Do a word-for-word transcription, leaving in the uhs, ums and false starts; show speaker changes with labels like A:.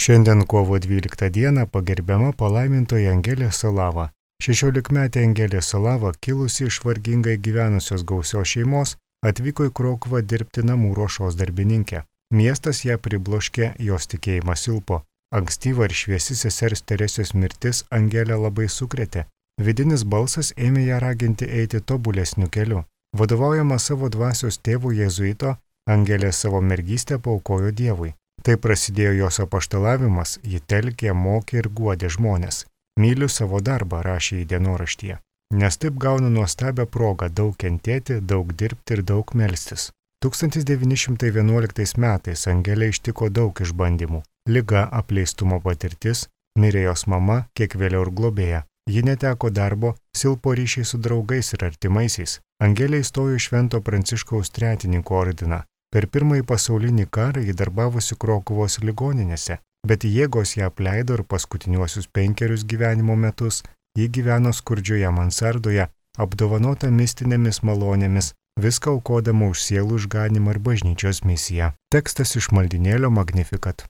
A: Šiandien kovo dvyliktą dieną pagerbiama palaimintoji Angelė Salava. šešiolikmetė Angelė Salava, kilusi iš vargingai gyvenusios gausios šeimos, atvyko į Krokuvą dirbti namų ruošos darbininkė. Miestas ją pribloškė, jos tikėjimas silpo. Ankstyva ir šviesi sesers Teresės mirtis Angelę labai sukrėtė. Vidinis balsas ėmė ją raginti eiti tobulesniu keliu. Vadovaujama savo dvasios tėvų jėzuito, Angelė savo mergystę paaukojo Dievui. Tai prasidėjo jos apaštalavimas, ji telkė, mokė ir guodė žmonės. Myliu savo darbą, rašė į dienoraštyje, nes taip gaunu nuostabią progą daug kentėti, daug dirbti ir daug melstis. tūkstantis devyni šimtai vienuoliktais metais Angelę ištiko daug išbandymų. Liga, apleistumo patirtis, mirė jos mama, kiek vėliau ir globėja. Ji neteko darbo, silpo ryšiai su draugais ir artimaisiais. Angelė įstojo į Švento Pranciškaus Tretininkų ordiną. Per pirmąjį pasaulinį karą ji darbavosi Krokuvos ligoninėse, bet jėgos ją apleido ir paskutiniuosius penkerius gyvenimo metus ji gyveno skurdžioje mansardoje, apdovanota mistinėmis malonėmis, viską aukodama už sielų išganymą ir bažnyčios misiją. Tekstas iš maldynėlio Magnificat.